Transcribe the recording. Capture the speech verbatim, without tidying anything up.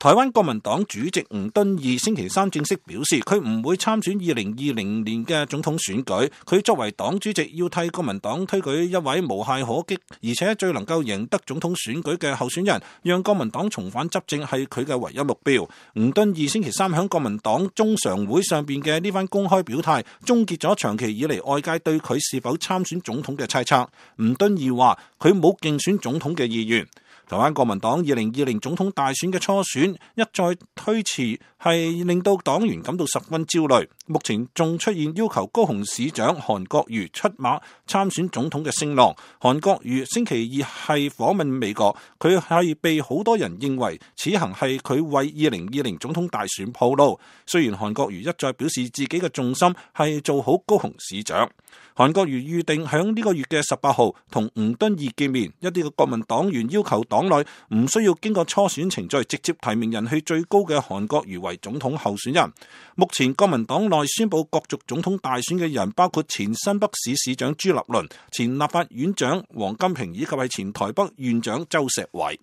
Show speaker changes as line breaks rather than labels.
台灣國民黨主席吳敦義星期三正式表示，佢唔會參選二零二零年嘅總統選舉。佢作為黨主席，要替國民黨推舉一位無懈可擊，而且最能夠贏得總統選舉嘅候選人，讓國民黨重返執政係佢嘅唯一目標。吳敦義星期三喺國民黨中常會上邊嘅呢番公開表態，終結咗長期以嚟外界對佢是否參選總統嘅猜測。吳敦義話佢冇競選總統嘅意願。台灣國民黨二零二零總統大選嘅初選一再推遲，係令到黨員感到十分焦慮。目前仲出現要求高雄市長韓國瑜出馬參選總統嘅聲浪。韓國瑜星期二係訪問美國，佢係被好多人認為此行係佢為二零二零總統大選鋪路。雖然韓國瑜一再表示自己嘅重心係做好高雄市長。韓國瑜預定響呢個月嘅十八號同吳敦義見面。一啲嘅國民黨員要求黨內唔需要經過初選程序，直接提名人氣最高嘅韓國瑜為總統候選人。目前國民黨內宣布角逐總統大選嘅人包括前新北市市長朱立倫、前立法院長王金平以及係前台北縣長周錫瑋。